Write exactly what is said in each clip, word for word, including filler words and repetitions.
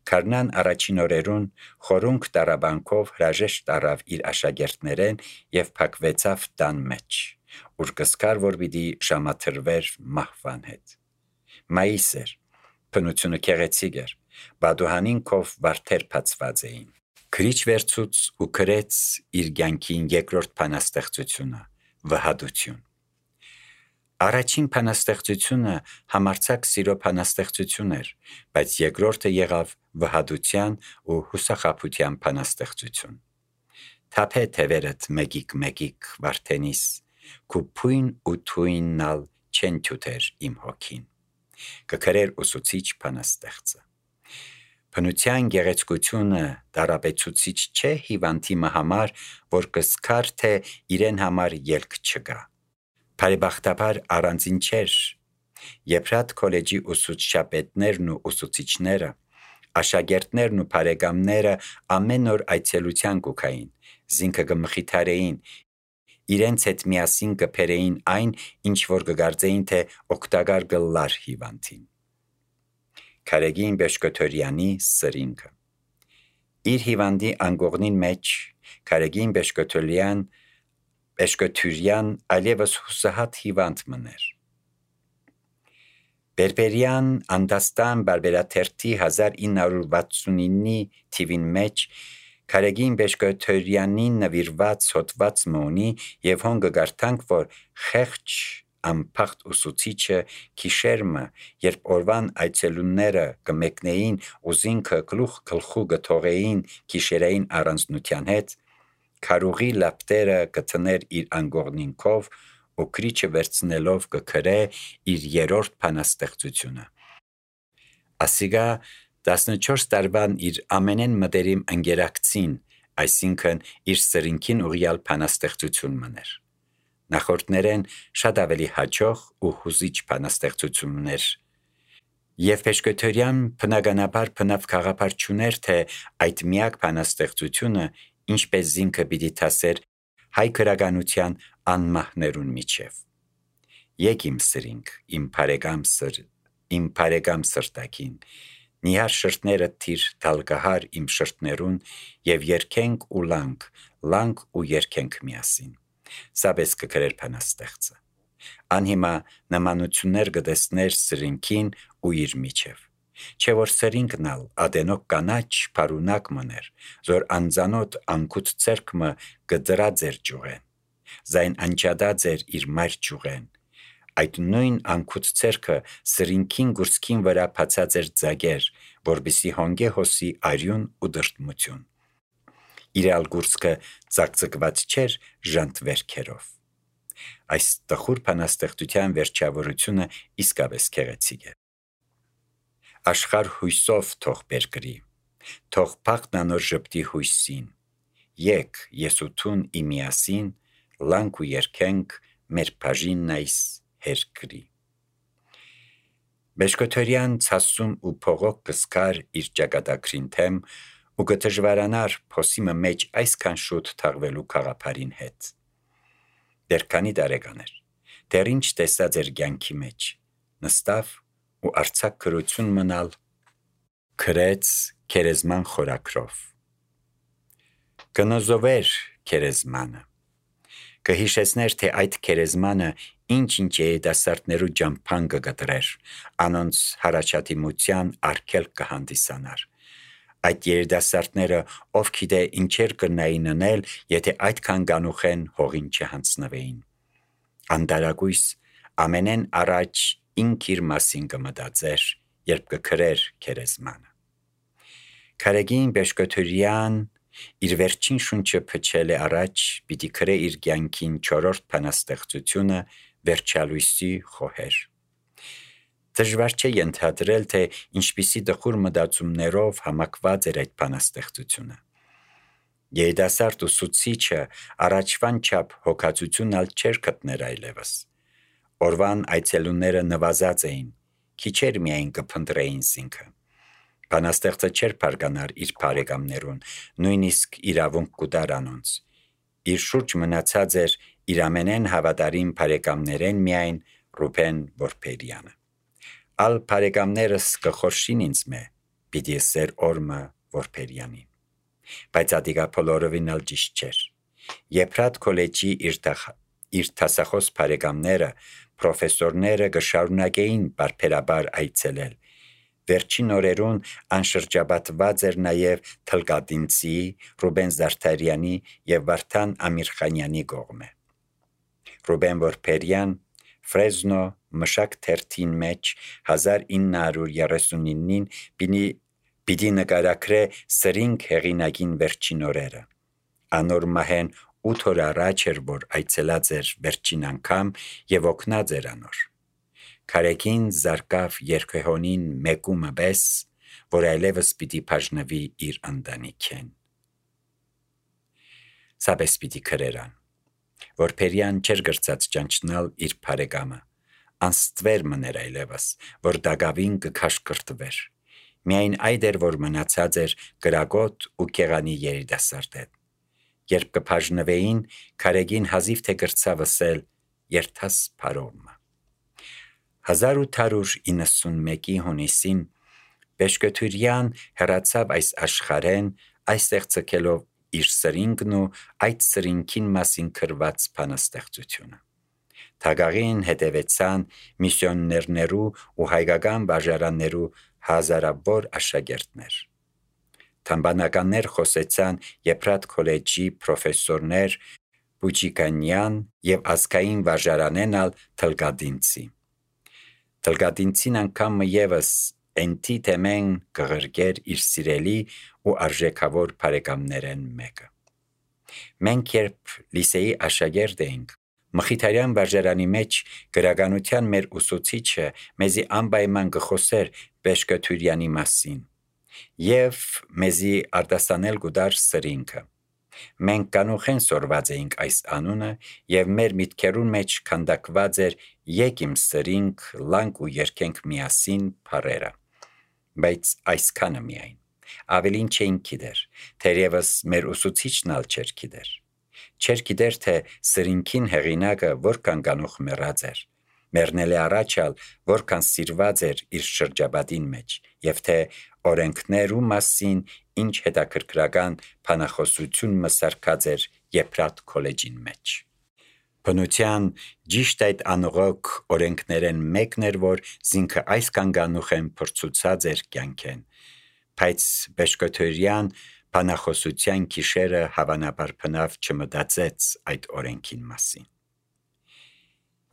Քարնան առաջին օրերուն խորունկ տարաբանքով հրաժեշտ առավ իր աշակերտներեն եւ փակվեցավ տան մեջ, ուր կսկար որ պիտի ժամաթրվեր մահվան հետ։ Մայիս էր, բնությունը քեղեցիկ էր, բադուհանին կով վարդեր բացված էին։ Քրիչ վերցուց ու քրեց իր կյանքին երկրորդ բանաստեղծությունը՝ վհադություն։ Առաջին բանաստեղծությունը համարձակ սիրո բանաստեղծություն էր, բայց երկրորդը եղավ վհադության ու հուսախաբության բանաստեղծություն։ Թափե թևերդ մեկիկ մեկիկ վարդենիս, քու փույն ու թույննալ չեն թութեր իմ հոգին, կքրեր ուսուցիչ բանաստեղծը։ Բնության գեղեցկությունը դարաբեցուցիչ չէ հիվանդի համար, որ կսկար թե իրեն համար ելք չգա։ Բարեբախտաբար առանձին չէր։ Եփրատ քոլեջի ուսուցչապետներն ու ուսուցիչները, աշակերտներն ու բարեկամները ամեն օր այցելության կուքային, զինքը կմխիթարեին, իրենց հետ միասին կփերեին այն, ինչ որ կգարձեին թե օգտակար կլար հիվանդին։ Քարեգին Բեշկոթորյանի սրինքը։ Իր հիվանդի անկողնին մեջ Քարեգին Բեշկոթորյան Բեշկոթուրյան այլևս հուսահատ հիվանդ մներ։ Բերբերյան Անդաստան բարբերաթերթի հազար ինը հարյուր վաթսունինի թիվին մեջ Քարեգին Բեշկոթորյանին նվիրված հոդված մոնի եւ հոն կգարտանք, որ խեղճ անփախտ ուսուցիչը քիշերմը, երբ օրվան այցելունները կմեկնեին ու զինքը գլուխ գլխու գթողեին քիշերային առանձնության հետ, քարուղի լապտերը կթներ իր անգողնինքով ու քրիչը վերցնելով կքրե իր երրորդ բանաստեղծությունը։ Ասիգա տասնչորս տարվան իր ամենեն մտերիմ ընկերակցին, այսինքն իր սրինքին ուղիալ բանաստեղծություն մներ։ Նախորդներեն շատ ավելի հաջող ու հուզիչ բանաստեղծություններ։ Եվ Բեշկոթորյան բնականաբար բնավ գաղափար չուներ, թե այդ միակ բանաստեղծությունը ինչպես զինքը պիտի թասեր հայ գրականության անմահներուն միջև։ Եկ իմ սրինք, իմ բարեկամ սր, իմ բարեկամ սրտակին, նիհար շրտները թիր դալկահար իմ շրտներուն եւ երկենք ու լանք, լանք ու երկենք միասին։ Սաբես կգրեր բանաստեղծը։ Անհիմա նմանություններ կտեսներ սրինքին ու իր միջև։ Չէ որ սրինքնալ ադենոք կանաչ բարունակ մներ, զոր անձանոտ անկուտ ցերկմը կդրա ձեր ճուղեն, զայն անջադա ձեր իր մայր ճուղեն, այդ նույն անկուտ ցերկը սրինքին գուրսքին վրա բացած էր ձագեր, որբիսի հոնգե հոսի արյուն ու դրտմություն։ Իրալ գուրսքը ծակծկված չէր ժանտ վերքերով։ Այս տխուր բանաստեղծության վերջավորությունը իսկապես քեղեցիկ է։ Աշխարհ հույսով թող բերկրի, թող փախնանոր ժպտի հույսին, եկ եսութուն իմիասին, լանք ու երկենք մեր բաժինն այս հերկրի։ Բեշկոթորյան ցասում ու փողոք կսկար իր ճակատագրին թեմ ու կդժվարանար փոսիմը մեջ այսքան շուտ թաղվելու գաղափարին հետ։ Դեռ քանի տարեկան էր, դեռ ինչ տեսած էր կյանքի մեջ, նստավ ու արցակ քրություն մնալ, քրեց քերեզման խորակրով։ Կնոզովեր քերեզմանը, կհիշեցներ, թե այդ քերեզմանը ինչ-ինչ երիտասարդներու ջամփան կգտրեր, անոնց հարաճատիմության արգելք կհանդիսանար։ Այդ երիտասարդները ով գիտե ինչեր կնային անել, եթե այդքան գանուխեն հողին չհանձնվեին։ Անդարագույս ամենեն առաջ ինք իր մասին կմտածեր, երբ կքրեր քերեզմանը։ Քարեգին Բեշկոթորյան իր վերջին շունչը փչել է առաջ, պիտի քրե իր կյանքին չորրորդ բանաստեղծությունը վերջալույսի խոհեր։ Դժվար չէ ենթադրել, թե ինչպիսի տխուր մտածումներով համակված էր այդ բանաստեղծությունը։ Երիտասարդ ուսուցիչը առաջվան չափ հոգացությունալ չէր գտներ այլևս։ Օրվան այցելունները նվազած էին, քիչեր միայն կփնտրեին զինքը։ Բանաստեղծը չէր բարգանար իր բարեկամներուն, նույնիսկ իրավունք կուտար անոնց։ Իր շուրջ մնացած էր իր ամենեն հավատարիմ բարեկամներեն միայն Ռուբեն Որբերյանը։ Ալ բարեկամներս կխորշին ինձ մե, պիտի սեր օրմը Որբերյանին։ Բայց ադիգա բոլորովին ալ ճիշտ չէր։ Եփրատ քոլեջի իր իր տասախոս բարեկամները, պրոֆեսորները գշարունակեին բարբերաբար այցելել։ Վերջին օրերուն անշրջաբատված էր նաև Թլկատինցի, Ռուբեն Զարդարյանի եւ Վարդան Ամիրխանյանի կողմը։ Ռուբեն Որբերյան Ֆրեզնո մշակ թերթին մեջ հազար ինը հարյուր երեսունինին պիտի նկարագրե սրինգ հեղինակին վերջին օրերը։ Անոր մահեն ութ օր առաջ էր, որ այցելած էր վերջին անգամ եւ օգնած էր անոր։ Քարեկին զարկավ երկհոնին մեկումը բես, որ այլևս պիտի բաժնվի իր ընտանիքեն։ Սաբես պիտի քրերան։ Որբերյան չեր գրծած ճանչնալ իր բարեկամը։ Անստվեր մներ այլևս, որ դագավին կքաշքրտվեր։ Միայն այդ էր, որ մնացած էր գրագոտ ու կեղանի երիտասարդետ։ Երբ կբաժնվեին, քարեգին հազիվ թե գրծավ ասել երթաս փարոմը։ հազար ութ հարյուր իննսունմեկի հունիսին Բեշկթուրյան հեռացավ այս աշխարհեն, այստեղ ցկելով իր սրինգն ու այդ սրինգին մասին գրված բանաստեղծությունը։ Թագաղին հետևեցան միսիոներներու ու հայկական բաժարաններու հազարավոր աշակերտներ։ Թամբանականներ խոսեցան Եփրատ քոլեջի պրոֆեսորներ Բուջիկանյան եւ ազգային վարժարանենալ Թլկատինցի։ Թլկատինցին անգամ եւս ընտի թեմեն կղրգեր իր սիրելի ու արժեքավոր բարեկամներեն մեկը։ Մենք երբ լիսեի աշակերտ էինք, Մխիթարյան վարժարանի մեջ գրականության մեր ուսուցիչը մեզի անպայման կխոսեր Բեշկթուրյանի մասին եւ մեզի արտասանել գուդար սրինգը։ Մենք կանուխեն սորված էինք այս անունը եւ մեր միտքերուն մեջ քանդակված էր եկիմ սրինգ, լանք ու երկենք միասին փարերը։ Բայց այսքանը միայն։ Ավելին չէին գիտեր, թերևս մեր ուսուցիչն ալ չէր գիտեր։ Չէր գիտեր, թե սրինգին հեղինակը որքան կանուխ մեռած էր։ Մեռնել է առաջալ, որքան սիրված էր իր շրջապատին մեջ, եւ թե օրենքներու մասին ինչ հետաքրքրական բանախոսություն մսարկած էր Եփրատ քոլեջին մեջ։ Բնության ճիշտ այդ անողոք օրենքներեն մեկն էր, որ զինքը այս կանգանուխեն փրցուցած էր կյանքեն, բայց Բեշկթուրյան բանախոսության քիշերը հավանաբար բնավ չմտածեց այդ օրենքին մասին։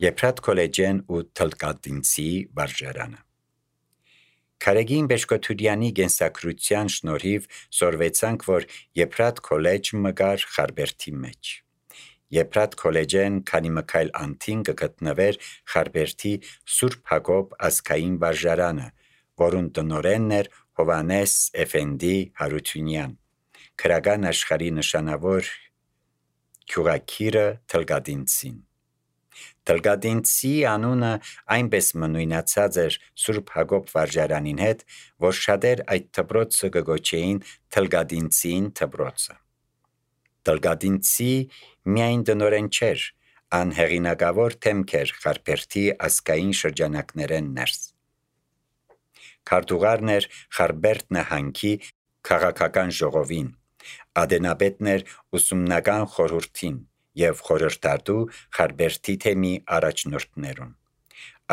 Եփրատ քոլեջեն ու Թլկատինցի վարժարանը։ Քարեգին Բեշկթուրյանի գենսակրության շնորհիվ սորվեցանք, որ Եփրատ քոլեջ մգար Խարբերդի մեջ։ Եփրատ քոլեջեն քանի մկայլ անտին կգտնվեր Խարբերդի Սուրբ Հակոբ ազգային վարժարանը, որուն տնօրենն էր Հովանես Էֆենդի Հարությունյան, քրական աշխարհի նշանավոր գյուղակիրը Թլկատինցին։ Թլկատինցի անունը այնպես մնույնացած էր Սուրբ Հակոբ վարժարանին հետ, որ շատեր այդ դպրոցը կգոչեին Թլկատինցին դպրոցը։ Թլկատինցի միայն տնօրեն չէր, ան հեղինակավոր թեմք էր Խարբերդի ազգային շրջանակներեն ներս։ Քարտուղարն էր Խարբերդ նահանգի քաղաքական ժողովին, ադենապետն էր ուսումնական խորհրդին եւ խորհրդատու Խարբերդի թեմի առաջնորդներուն։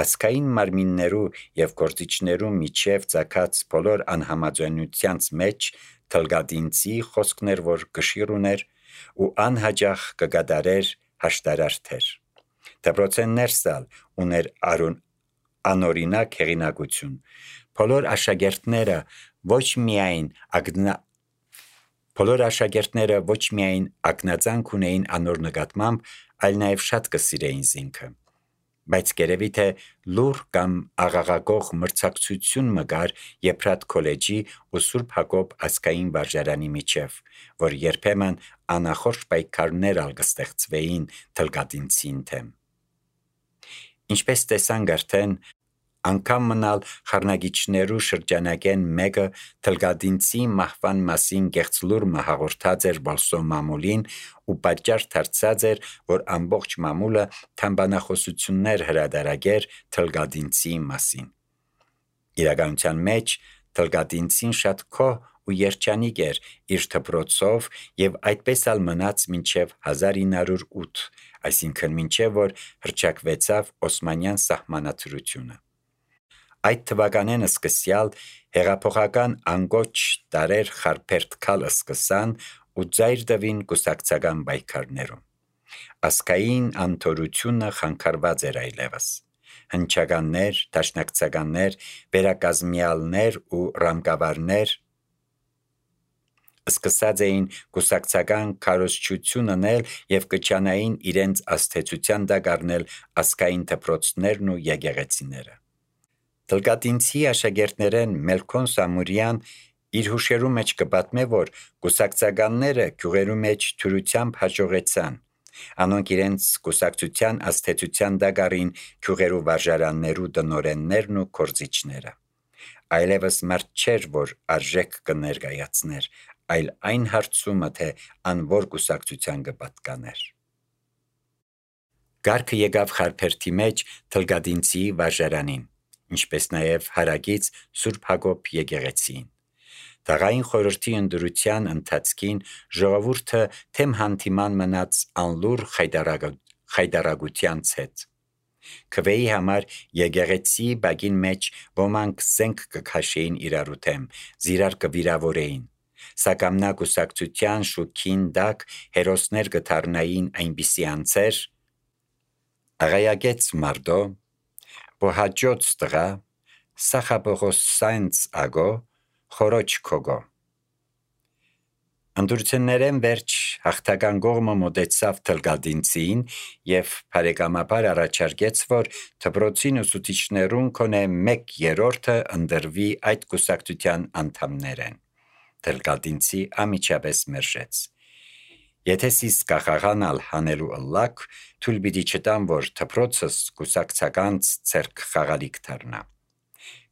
Ազգային մարմիններու եւ գործիչներու միջև ցակած բոլոր անհամաձայնությանց մեջ Թլկատինցի խոսքներ, որ գշիր ուներ ու անհաջող կգադարեր հաշտարարթեր։ Դպրոցեն ներսալ ուներ արուն անօրինակ հեղինակություն։ Բոլոր աշակերտները ոչ միայն ագնա Բոլոր աշակերտները ոչ միայն ակնածանք ունեին անոր նկատմամբ, այլ նաև շատ կսիրեին զինքը։ Բայց գերեւի թե լուր կամ աղաղակող մրցակցություն մգար Եփրատ քոլեջի ու Սուրբ Հակոբ ազգային վարժարանի միջև, որ երբեմն անախորժ պայքարներ ալ կստեղծվեին Թլկատինցին թեմ։ Ինչպես տեսանք արդեն, անգամ մնալ խառնագիչներու շրջանակեն մեկը Թլկատինցի մահվան մասին գեղձ լուրը հաղորդած էր Բոլսո մամուլին ու պատճառ դարձած էր, որ ամբողջ մամուլը թամբանախոսություններ հրադարագեր Թլկատինցի մասին։ Իրականության մեջ Թլգադինցին շատ քոհ ու երջանիկ էր իր դպրոցով եւ այդպես ալ մնաց մինչեւ հազար ինը հարյուր ութ, այսինքն մինչեւ որ հռչակվեցավ Օսմանյան սահմանադրությունը։ Այդ թվականեն սկսյալ հեղափոխական անգոչ տարեր խարփերթքալ սկսան ու ծայր տվին կուսակցական պայքարներում։ Ասկային անթորությունը խանգարված էր այլևս։ Հնչականներ, դաշնակցականներ, վերակազմյալներ ու ռամկավարներ սկսած էին կուսակցական քարոզչություն անել եւ կչանային իրենց աստեցության տակ առնել ասկային դպրոցներն ու եկեղեցիները։ Թլգադինցի աշակերտներեն Մելքոն Սամուրյան իր հուշերու մեջ կպատմե, որ կուսակցականները գյուղերու մեջ թյուրությամբ հաջողեցան։ Անոնք իրենց կուսակցության աստեցության տակ առին գյուղերու վարժարաններու տնօրեններն ու կորզիչները։ Այլևս մարդ չէր, որ արժեք կներկայացներ, այլ այն հարցումը, թե անոր կուսակցության կպատկաներ։ Գարքը եկավ խարփերթի մեջ Թլգադինցի վարժարանին, ինչպես նաև հարակից Սուրբ Հակոբ եկեղեցին։ Դաղային խորհրդի ընդրության ընթացքին ժողովուրդը թեմ հանդիման մնաց անլուր խայդարագությանց հետ։ Քվեի համար եկեղեցի բակին մեջ ոմանք զենք կքաշեին իրարու թեմ, զիրար կվիրավորեին։ Սակամնա կուսակցության շուքին տակ հերոսներ կդառնային այնպիսի անձեր, աղայագեց մարդո, բոհաջոց տղա, սախաբողոսանց ագո, խորոչ քոգո։ Ընդրություններեն վերջ հաղթական կողմը մոտեցավ Թլգադինցին եւ բարեկամաբար առաջարկեց, որ դպրոցին ուսուցիչներուն կոնե մեկ երրորդը ընդրվի այդ կուսակցության անդամներեն։ Թլգադինցի ամիջապես մերժեց։ Եթե սիս կախաղանալ հանելու ըլլակ, թույլ պիտի չտամ, որ դպրոցս կուսակցականց ցերկ խաղալիք դառնա։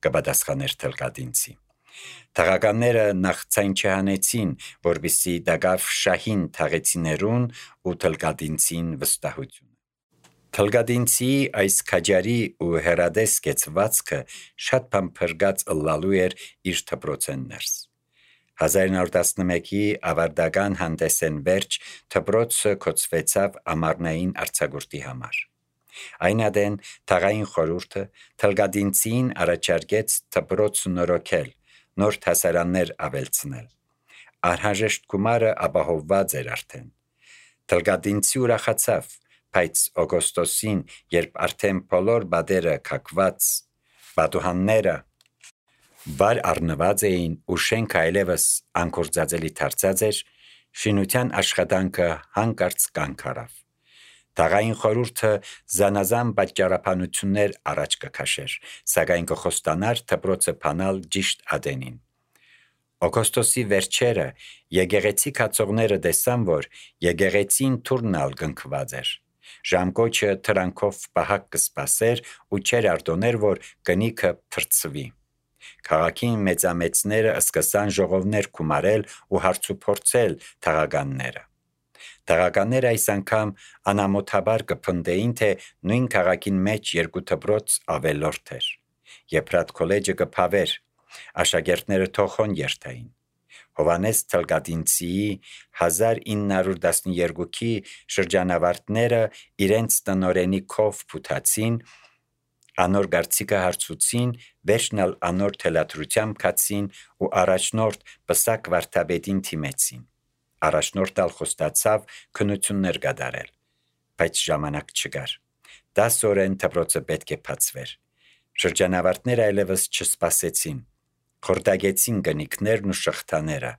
Կպատասխաներ Թլգադինցի։ Թաղականները նախ ցայն չհանեցին, որպեսզի դակավ շահին թաղեցիներուն ու Թլգադինցին վստահությունը։ Թլգադինցի այս քաջարի ու հերադես կեցվածքը շատ բան փրկած ըլլալու էր իր դպրոցեն ներս։ հազար ինը հարյուր տասնմեկի ավարտական հանդեսեն վերջ դպրոցը կոչվեցավ ամառնային արձակուրդի համար։ Այն ադեն թաղային խորհուրդը Թլգադինցին առաջարկեց դպրոց նորոգել, նոր դասարաններ ավելցնել։ Անհրաժեշտ գումարը ապահովված էր արդեն։ Թլգադինցի ուրախացավ, բայց օգոստոսին, երբ արդեն բոլոր բադերը կակված, բադուհանները վար առնված էին ու շենքը այլևս անկործածելի դարձած էր, շինության աշխատանքը հանկարծ կանգ առավ։ Թաղային խորհուրդը զանազան պատճառաբանություններ առաջ կքաշեր, սակայն կխոստանար դպրոցը բանալ ճիշտ ադենին։ Օգոստոսի վերջերը եկեղեցի կացողները տեսան, որ եկեղեցին թուրնալ կնքված էր։ Ժամկոչը թրանքով պահակ կսպասեր ու չեր արտոներ, որ կնիքը թրծվի։ Քաղաքին մեծամեծները սկսան ժողովներ գումարել ու հարցուփորձել թաղականները։ Թաղականները այս անգամ անամոթաբար կփնտեին, թե նույն քաղաքին մեջ երկու դպրոց ավելորդ էր։ Եփրատ քոլեջը կփավեր, աշակերտները թոխոն երթային։ Հովանես Թլգադինցիի հազար ինը հարյուր տասնյոթի շրջանավարտները իրենց տնօրենի քով փութացին, անոր գարցիկը հարցուցին, վերջնալ անոր թելադրությամբ կացին ու առաջնորդ Պսակ վարդապետին թիմեցին։ Առաջնորդալ խոստացավ քննություններ կատարել, բայց ժամանակ չկար։ Դաս օրեն դպրոցը պետք է բացվեր։ Շրջանավարտները այլևս չսպասեցին։ Խորտագեցին գնիկներն ու շղթաները,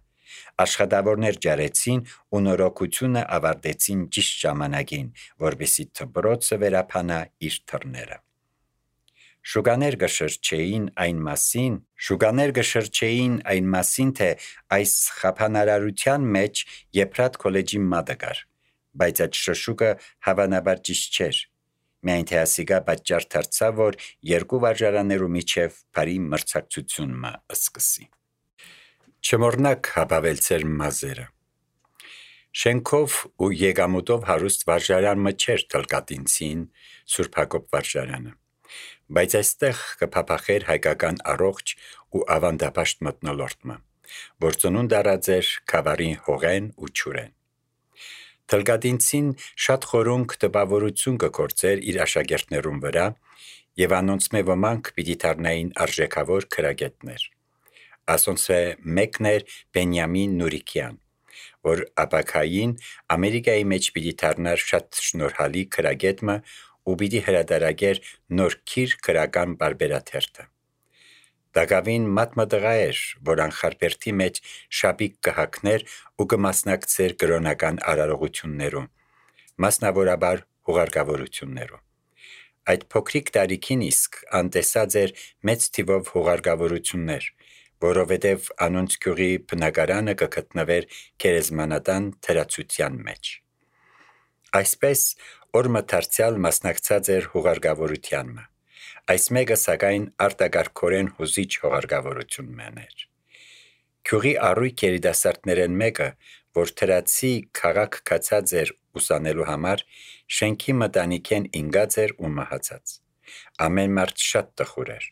աշխատավորներ ջարեցին ու նորոգությունը ավարտեցին ճիշտ ժամանակին, որպեսզի դպրոցը վերափանա իր թռները։ Շուկաներ կշրջեին այն մասին, շուկաներ կշրջեին այն մասին, թե այս խափանարարության մեջ Եփրատ քոլեջի մատը կար, բայց այդ շշուկը հավանաբար ճիշտ չէր։ Միայն թե ասիկա պատճառ դարձավ, որ երկու վարժարաններու միջև բարի մրցակցություն մը սկսի։ Չմոռնաք հապավել ձեր մազերը։ Շենքով ու եկամուտով հարուստ վարժարան մը չէր Թլգադինցին, Սուրբ Հակոբ վարժարանը, Բայց այստեղ կփափախեր հայկական առողջ ու ավանդապաշտ մթնոլորտը, որ ծնունդ առած էր Քավառի հողեն ու չուրեն։ Թլգադինցին շատ խորունկ տպավորություն կգործեր իր աշակերտներուն վրա եւ անոնց մե ոմանք պիտի դառնային արժեքավոր քրագետներ։ Ասոնցե մեկն էր Բենյամին Նուրիկյան, որ ապակային Ամերիկայի մեջ պիտի դառնար շատ շնորհալի քրագետը ու պիտի հրադարագեր նոր քիր քրական բարբերաթերթը։ Դակավին մատմատղա էր, որ անխարբերթի մեջ շապիկ կհակներ ու կմասնակցեր կրոնական արարողություններում, մասնավորաբար հուղարկավորություններում։ Այդ փոքրիկ տարիքին իսկ անտեսած էր մեծ թիվով հուղարկավորություններ, որովհետև անոնց գյուղի բնակարանը կգտնվեր գերեզմանատան թրացության մեջ։ Այսպես օրը դարձյալ մասնակցած էր հուղարկավորությանը։ Այս մեկը սակայն արտակարգորեն հուզիչ հուղարկավորությունն էր։ Գյուղի առույգ երիտասարդներեն մեկը, որ թրացի քաղաք կացած էր ուսանելու համար, շենքի մտանիքեն ինգած էր ու մահացած։ Ամեն մարդ շատ տխուր էր։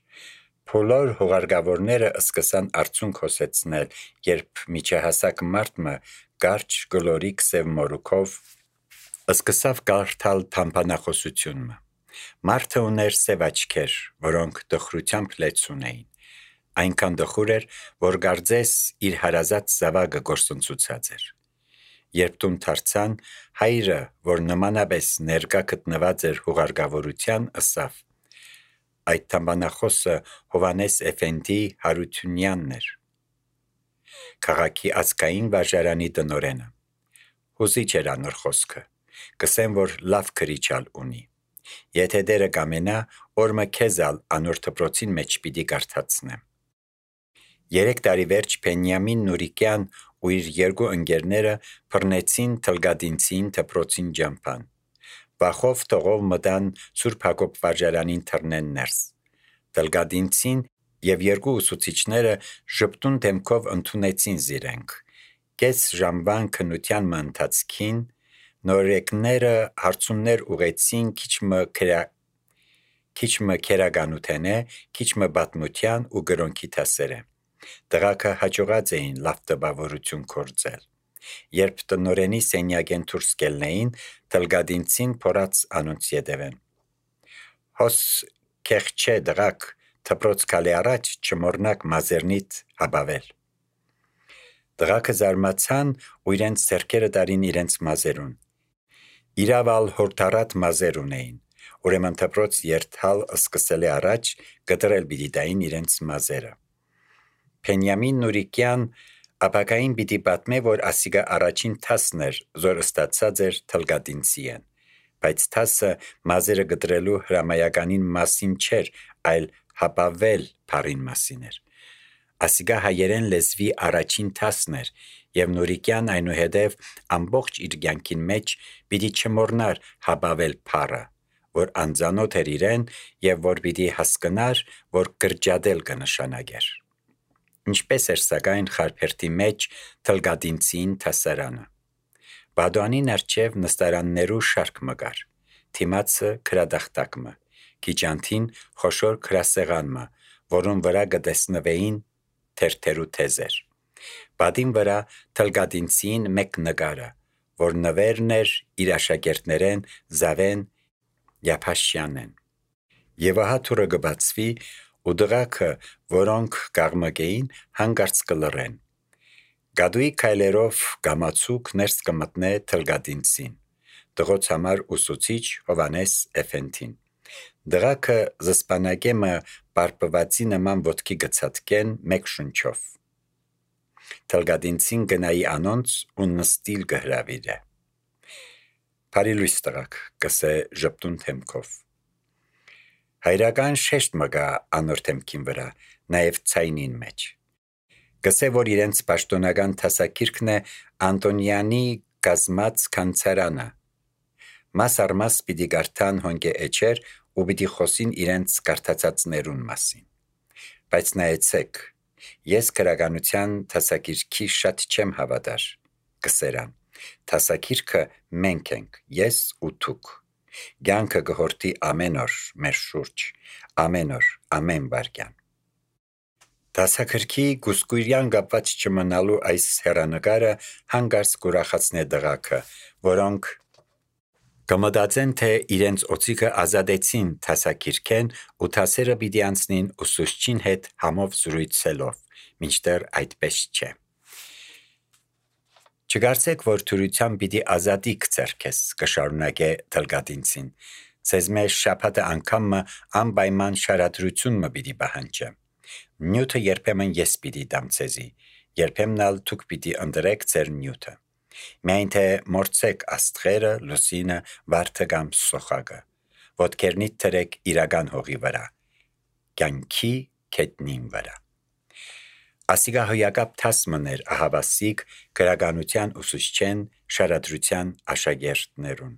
Բոլոր հուղարկավորները սկսան արցունք հոսեցնել, երբ միջահասակ մարդը կարճ գլորիկ սև մորուքով սկսավ կարդալ թամբանախոսությունը։ Մարդը ուներ սև աչքեր, որոնք տխրությամբ լեցուն էին։ Այնքան տխուր էր, որ կարծես իր հարազատ զավակը գործընծուցած էր։ Երբ տուն դարձան, հայրը, որ նմանապես ներկա գտնված էր հուղարկավորության, ըսավ. այդ թամբանախոսը Հովհաննես Էֆենդի Հարությունյանն էր, քաղաքի ազգային վարժարանի տնօրենը։ Հուզիչ էր անոր խոսքը, կսեմ, որ լավ քրիչալ ունի։ Եթե դերը կամենա, օրը քեզալ անոր դպրոցին մեջ պիտի կարդացնեմ։ Երեք տարի վերջ Բենյամին Նուրիկյան ու իր երկու ընկերները բռնեցին Թլգադինցին դպրոցին ջամփան։ Վախով տողով մտան Սուրբ Հակոբ վարժարանին թռնեն ներս։ Թլգադինցին եւ երկու ուսուցիչները ժպտուն դեմքով ընդունեցին զիրենք։ Կես ժամվան քննության ընթացքին նորեկները հարցումներ ուղեցին քիչմը քրա քիչմը քերագանութենե, քիչմը բատմության ու գրոնքի տասերը։ Դղակը հաջողած էին լավ տպավորություն կործել։ Երբ տնորենի սենյակեն դուրս կելնեին, Թլգադինցին փորած անոնց ետևեն։ Հոս քեղչե դղակ դպրոց կալի առաջ չմորնակ մազերնիտ հաբավել։ Դղակը զարմացան ու իրենց ձեռքերը տարին իրենց մազերուն։ Իրավալ հորթարատ մազեր ունեին, ուրեմն դպրոց երթալ սկսելի առաջ կտրել պիտի տային իրենց մազերը։ Բենյամին Նուրիկյան ապակային պիտի պատմե, որ ասիգա առաջին թասն էր, որ ստացած էր Թլգադինցիեն, բայց թասը մազերը կտրելու հրամայականին մասին չէր, այլ հապավել փարին մասին էր։ Ասիգա հայերեն լեզվի առաջին թասն էր, եւ Նուրիկյան այնուհետև ամբողջ իր կյանքին մեջ պիտի չմոռնար հապավել փարը, որ անծանոթ էր իրեն եւ որ պիտի հասկնար, որ կրճատել կնշանակեր։ Ինչպես էր սակայն խարբերթի մեջ Թլգադինցին թասարանը։ Բադուանին արջև նստարաններու շարք մգար, թիմացը քրադախտակը, քիճանթին խոշոր քրասեղանը, որուն վրա կտեսնվեին թերթերու թեզեր։ Բադին վրա Թլգադինցին մեկ նկարը, որ նվերն էր իր աշակերտներեն Զավեն Յափաշյանեն։ Եվ ահա թուրը կբացվի ու դղակը, որոնք կաղմկեին, հանգարց կլռեն։ Գադուի քայլերով գամացուկ ներս կմտնե Թլգադինցին, դղոց համար ուսուցիչ Հովհաննես Էֆենդին։ Դղակը զսպանակեմը պարպվածի նման ոտքի գցատկեն մեկ շունչով։ Թլգադինցին գնայի անոնց ու նստիլ գհրավիրե։ Բարի լույս տղաք, կսե ժպտուն թեմքով։ Հայրական շեշտ մգա անոր թեմքին վրա, նաև ցայնին մեջ։ Կսե, որ իրենց պաշտոնական թասակիրքն է Անտոնյանի կազմած կանցարանը։ Մաս առ մաս պիտի գարտան հոնկե էջեր ու պիտի խոսին իրենց կարդացածներուն մասին։ Բայց նայեցեք, ես քրագանության թասակիրքի շատ չեմ հավատար, կսերան։ Թասակիրքը մենք ենք, ես ու դուք։ Կյանքը կհորտի ամեն օր մեր շուրջ, ամեն օր, ամեն վայրկյան։ Դասագրքի գուսկույրյան կապված չմնալու այս հեռանկարը հանգարց կուրախացնե դղաքը, որոնք կմտածեն, թե իրենց օծիքը ազատեցին դասագրքեն ու դասերը պիտի անցնին ուսուցչին հետ համով զրույցելով, մինչդեռ այդպես չէ։ Չկարծեք, որ թյուրությամբ պիտի ազատիք ձեռքես, կշարունակե Թլգատինցին։ Ձեզ մեջ շաբաթը անգամը անպայման շարադրություն մը պիտի պահանջե։ Նյութը երբեմն ես պիտի դամ ձեզի, երբեմն ալ դուք պիտի ընտրեք ձեր նյութը։ Միայն թե մորցեք աստղերը, լուսինը, վարդը կամ սոխակը։ Ոտքերնիդ թրեք իրական հողի վրա, կյանքի քետնին վրա։ Ասիկա հոյակապ թասմներ ահավասիկ գրականության ուսուցչեն շարադրության աշակերտներուն։